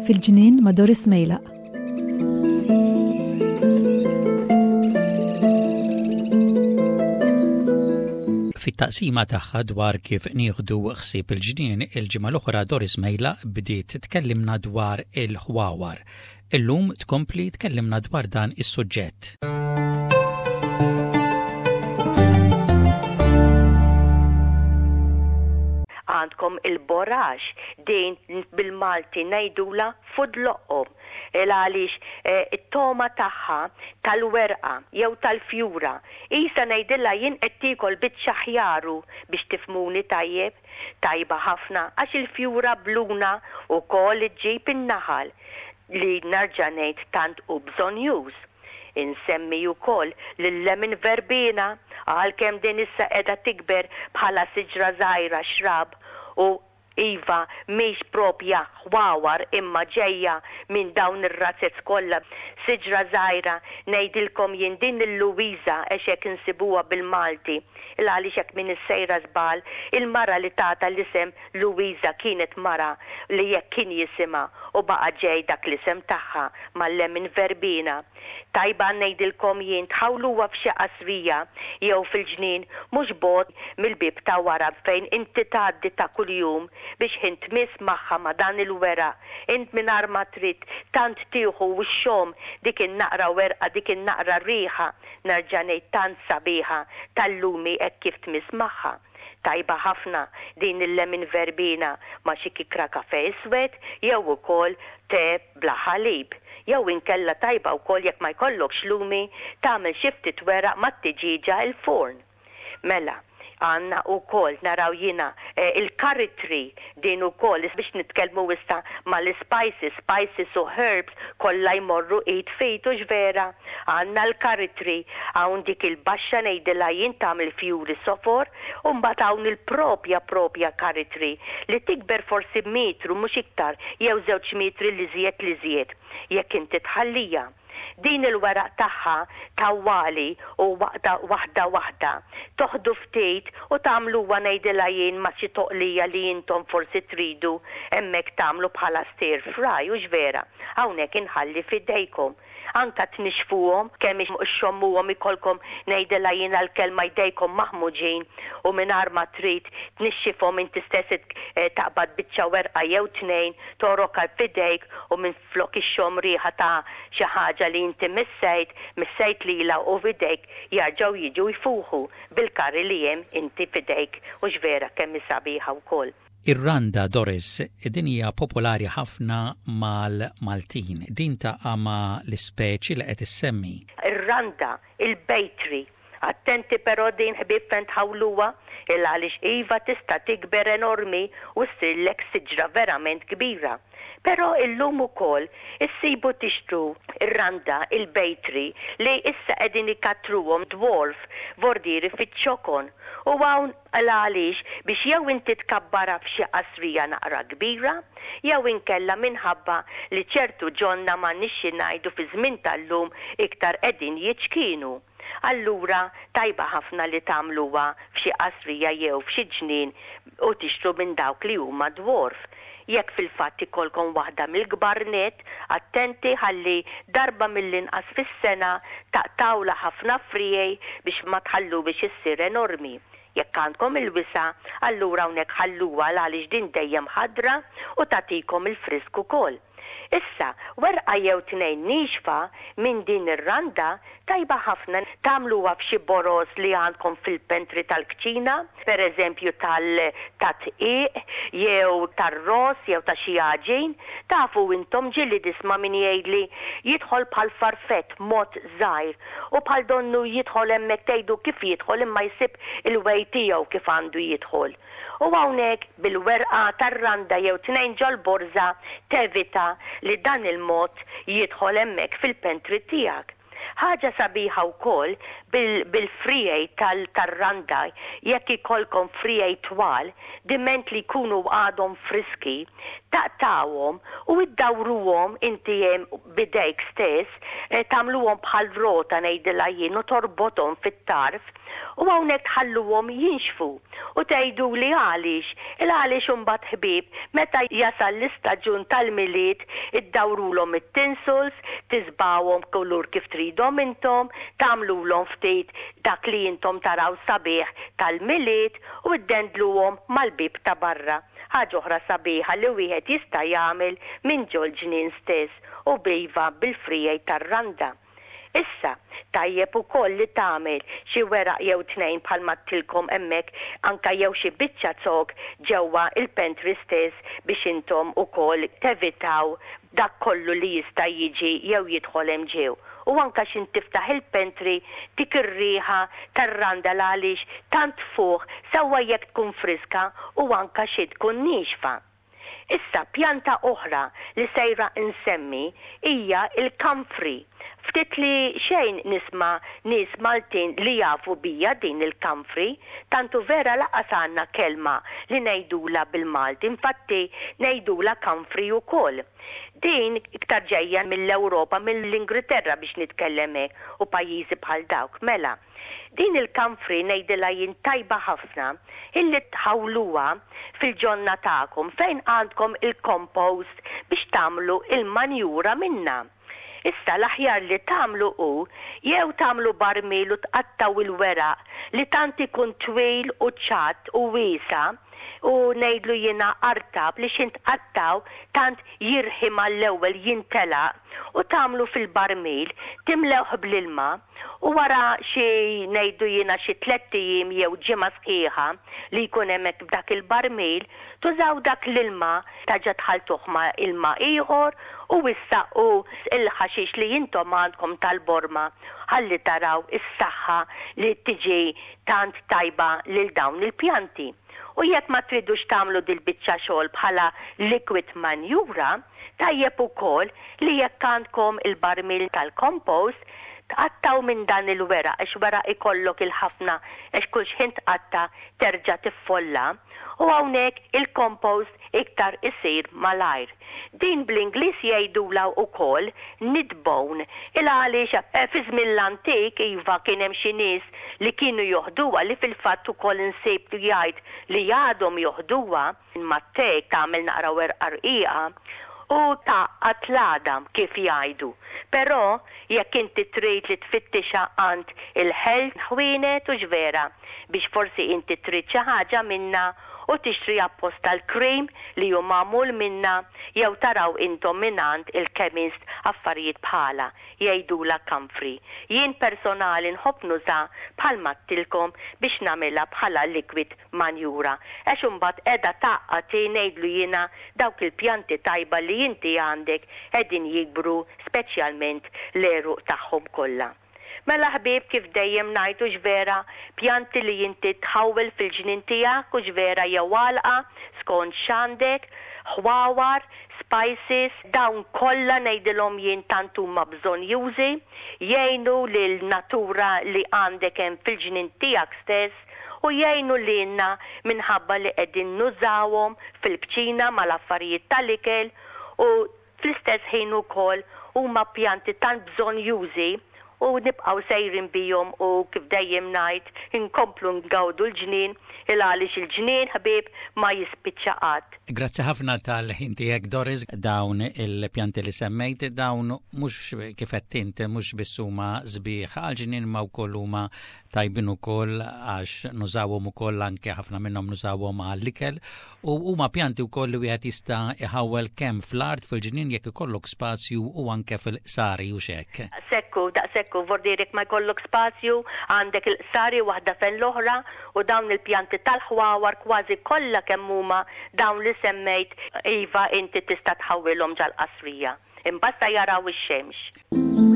Fil-ġnien ma' Doris Mejlaq. Fit-taqsima tagħha dwar kif nieħdu ħsieb il-ġnien, il-ġimgħa l-oħra Doris Mejla bdiet tkellimna dwar il-ħwawar. Illum tkompli tkellimna dwar dan is-suġġett. Għandkom il-borax, din bil-Malti ngħidulha fudloqqom. Il għaliex it-togħma tagħha tal-werqa jew tal-fjura, qisha ngħidilha jien qed tiekol biċċa ħjaru biex tifhmuni tajjeb. Tajba ħafna għax il-fjura bluna wkoll iġġib in-naħal li nerġa' ngħid tant hu bżonnjuż. Insemmi wkoll lil-lemon verbena għalkemm din issa qiegħda tikber bħala siġra żgħira xrab u Iva, mhix propja ħwawar imma ġejja minn dawn ir-razzez kollha. Siġra żgħira, ngħidilkom jien din il-Louisa għex hekk insibuha bil-Malti. Il għaliex hekk m'iniex sejra żball, il-mara li tatha l-isem Louisa kienet mara li hekk kien jisimha u baqa' ġej dak l-isem tagħha mal-lemon verbena. Tajba ngħidilkom jien tħawluha f'xi qasrija jew fil-ġnien mhux bogħod mill-bieb ta' wara fejn inti tgħaddi ta' kuljum biex ħin tmiss magħha ma' dan il-weraq int mingħajr ma trid tant tieħu u xxomm dik in-naqra werqa dik in-naqra riħa nerġa' ngħid tant sabiħa tal-lumi hekk kif tmiss magħha. Tajba ħafna din il-lemon verbena ma' xi kikra kafè iswed jew ukoll te bla ħalib. Jew inkella tajba wkoll jekk ma jkollokx lumi tagħmel xi ftit weraq mat-tiġieġa il-forn. Mela, għandna wkoll naraw jiena il-curry tree din ukoll biex nitkellmu issa mal-ispices, spices u herbs kollha jmorru id f'id hux vera? Għandna l-curry tree, hawn dik il-baxxa ngħidilha jien tagħmel fjuri sofor u mbagħad hawn il-propja propja curry tree li tikber forsi metru mhux iktar jew żewġ metri l-iżjed l-iżjed jekk inti tħallija. Din il-weraq tagħha tawwali u waqda waħda waħda. Toħdu ftit u tagħmluha ngħidilha jien ma' xi toqlija li intom forsi tridu hemmhekk tagħmlu bħala stir fry hux vera? Hawnhekk inħalli f'idejkom. Anka tnixxfuhom, kemm ixxommuhom ikollkom ngħidilha jiena l-kelma jdejkom maħmuġin u mingħajr ma trid tnixxifhom inti stess taqbad biċċa werqa jew tnejn togħrokha f'idejk u minflok ixxomm riħa ta' xi ħaġa li inti missejt, missejt lilha u f'idejk jarġgħu jiġu jfuħu bil-curry li hemm inti f'idejk hux vera kemm hi sabiħa wkoll. Ir-randa, Doris, din hija popolari ħafna mal-Maltin. Din taqa' ma' l-ispeċi li qed issemmi. Ir-randa, il-bejtri. Attenti però din ħbieb fejn tħawluha, il għaliex iva tista' tikber enormi u ssirlek siġra verament kbira. Però illum ukoll issibu tixtru r-randa, il-bejtri, li issa qegħdin ikattruhom dwarf, vordieri fiċ-ċokon. U hawn l-għaliex biex jew inti tkabbarha f'xi qasrija naqra kbira, jew inkella minħabba li ċertu ġonna m'għandniex xi ngħidu fiż-żmien tal-lum iktar qegħdin jiċkienu. Allura tajba ħafna li tagħmluha f'xi qasrija jew f'xi ġnien u tixtru minn dawk li huma dwarf. Jekk fil-fatt ikollkom waħda mill-kbar nett, attenti ħalli darba mill-inqas fis-sena taqtgħulha ħafna friegħi biex ma tħalluhiex issir enormi. Jekk għandkom il-wisa', allura hawnhekk ħalluha l-għaliex din dejjem ħadra u tagħtikom il-frisk ukoll. Issa, werqa jew tnejn niexfa minn din ir-randa tajba ħafna tagħmluha f'xi boroż li għandkom fil-pantry tal-kċina, per eżempju tal tad-dqiq jew tar-ross jew ta' xi għaġin. Tafu intom ġieli nisma' min jgħidli jidħol bħal farfett mod żgħir u bħal donnu jidħol hemmhekk tgħidu kif jidħol imma jsib il-way tiegħu kif għandu jidħol. U hawnhekk bil-werqa tar-randa jew tnejn ġol-borża tevita li dan il-mod jidħol hemmhekk fil-pantry tiegħek. Ħaġa sabiħa wkoll bil-friegħi tar-randa jekk ikollkom friegħi twal diment li jkunu għadhom friski. Taqtgħuhom u iddawruhom inti hemm b'idejk stess, tagħmluhom bħal rota ngħidilha jien u torbothom fit-tarf u hawnhekk tħalluhom jinxfu. U tgħiduli għaliex? Il-għaliex imbagħad ħbieb meta jasal l-istaġun tal-Milied iddawrulhom it-tinsels, tiżbgħuhom kulur kif tridhom intom, tagħmlulhom ftit dak li intom taraw sabiħ tal-Milied u ddendluhom mal-bieb ta' barra. Ħaġa oħra sabiħa li wieħed jista' jagħmel minn ġol-ġnien stess u b'iva bil-friegħi tar-randa. Issa, tajjeb ukoll li tagħmel xi weraq jew tnejn bħalma għedtilkom hemmhekk anke jew xi biċċa zokk ġewwa il-pantry stess biex intom ukoll tevitaw dak kollu li jista' jiġi jew jidħol hemm ġew. U anke x'int tiftaħ il-pantry dik ir-riħa tar-randa l-għaliex tant tfuħ sewwa jekk tkun friska u anke xi tkun niexfa. Issa pjanta oħra li sejra nsemmi hija l-kamfri. Ftit li xejn nisma' nies Maltin li jafu bija din il-kamfri, tant hu vera lanqas għandna kelma li ngħidulha bil-Malti, infatti ngħidulha kamfri wkoll. Din iktar ġejja mill-Ewropa, mill-Ingriterra biex nitkellem hekk, u pajjiżi bħal dawk. Mela, din il-kamfri ngħidilha jien tajba ħafna illi tħawluha fil-ġonna tagħkom fejn għandkom il-compost biex tagħmlu il-manjura minnha. Issa l-aħjar li tagħmlu hu jew tagħmlu barmil u tqattgħu il-weraq li tant ikun twil u ċatt u wiesa' u ngħidlu jiena artab li x'int tqattgħu tant jirħi mal-ewwel jintelaq u tagħmlu fil-barmil, timlewh bl-ilma u wara xi ngħidlu jiena xi tlett ijiem jew ġimgħa sħiħa li jkun hemmhekk f'dak il-barmil, tużaw dak l-ilma terġa' tħalltuh ma' ilma ieħor u issaqqu l-ħaxix li intom għandkom tal-borma ħalli taraw is-saħħa li tiġi tant tajba lil dawn il-pjanti. U jekk ma tridux tagħmlu dil-biċċa xogħol bħala liquid manjura, tajjeb ukoll li jekk għandkom il-barmil tal-compost, tqattgħu minn dan il-weraq għax weraq ikollok il-ħafna għax kull xħin tqatta' terġa' tiffolla u hawnhekk il-compost iktar isir malajr. Din bl-Ingliż jgħidulha wkoll knit bone il għaliex fi żmien l-antik iva kien hemm xi nies li kienu joħduha li fil-fatt ukoll insib jgħid li għadhom joħduha mat-te tagħmel naqra werqa rqiqa u tgħaqqad l-għadam kif jgħidu. Però jekk inti trid li tfittixha għand il-health ħwienet hux vera biex forsi inti trid xi ħaġa minnha u tixtri apposta l-cream li hu magħmul minnha jew taraw intom mingħand il-chemist affarijiet bħalha jgħidulha kamfri. Jien personali nħobb nuża bħalma għedtilkom biex nagħmilha bħala liquid manjura għax imbagħad qiegħda tgħaqqad hi ngħidlu jiena dawk il-pjanti tajba li inti għandek qegħdin jikbru speċjalment l-għeruq tagħhom kollha. Mela ħbieb kif dejjem ngħid hux vera, pjanti li inti tħawwel fil-ġnien tiegħek hux vera jew għalqa skont x'għandek, ħwawar, spices, dawn kollha ngħidilhom jien tant huma bżonnjużi, jgħinu lil natura li għandek hemm fil-ġnien tiegħek stess u jgħinu lilna minħabba li qegħdin nużawhom fil-kċina mal-affarijiet tal-ikel u Fl-istess ħin ukoll huma pjanti tant bżonnjużi u nibqgħu sejrin bihom u kif dejjem ngħid inkomplu ngawdu l-ġnien il għaliex il-ġnien ħbieb ma jispiċċa qatt. Grazzi ħafna tal-ħin tiegħek Doris, dawn il-pjanti li semmejt dawn mhux kif għedt int mhux biss huma sbieħ għall-ġnien imma wkoll huma tajbin ukoll għax nużawhom ukoll anke ħafna minnhom nużawhom għall-ikel u huma pjanti wkoll li wieħed jista' iħawwel kemm fl-art fil-ġnien jekk ikollok spazju u anke fil-qsari u x'hekk. Sekku, daqshekk vordier jekk ma jkollok spazju, għandek il-qsari waħda fejn l-oħra u dawn il-pjanti tal-ħwawar kważi kollha kemm huma dawn li semmejt iva inti tista' tħawwilhom ġal-qasrija. Imbagħad sa jaraw ix-xemx.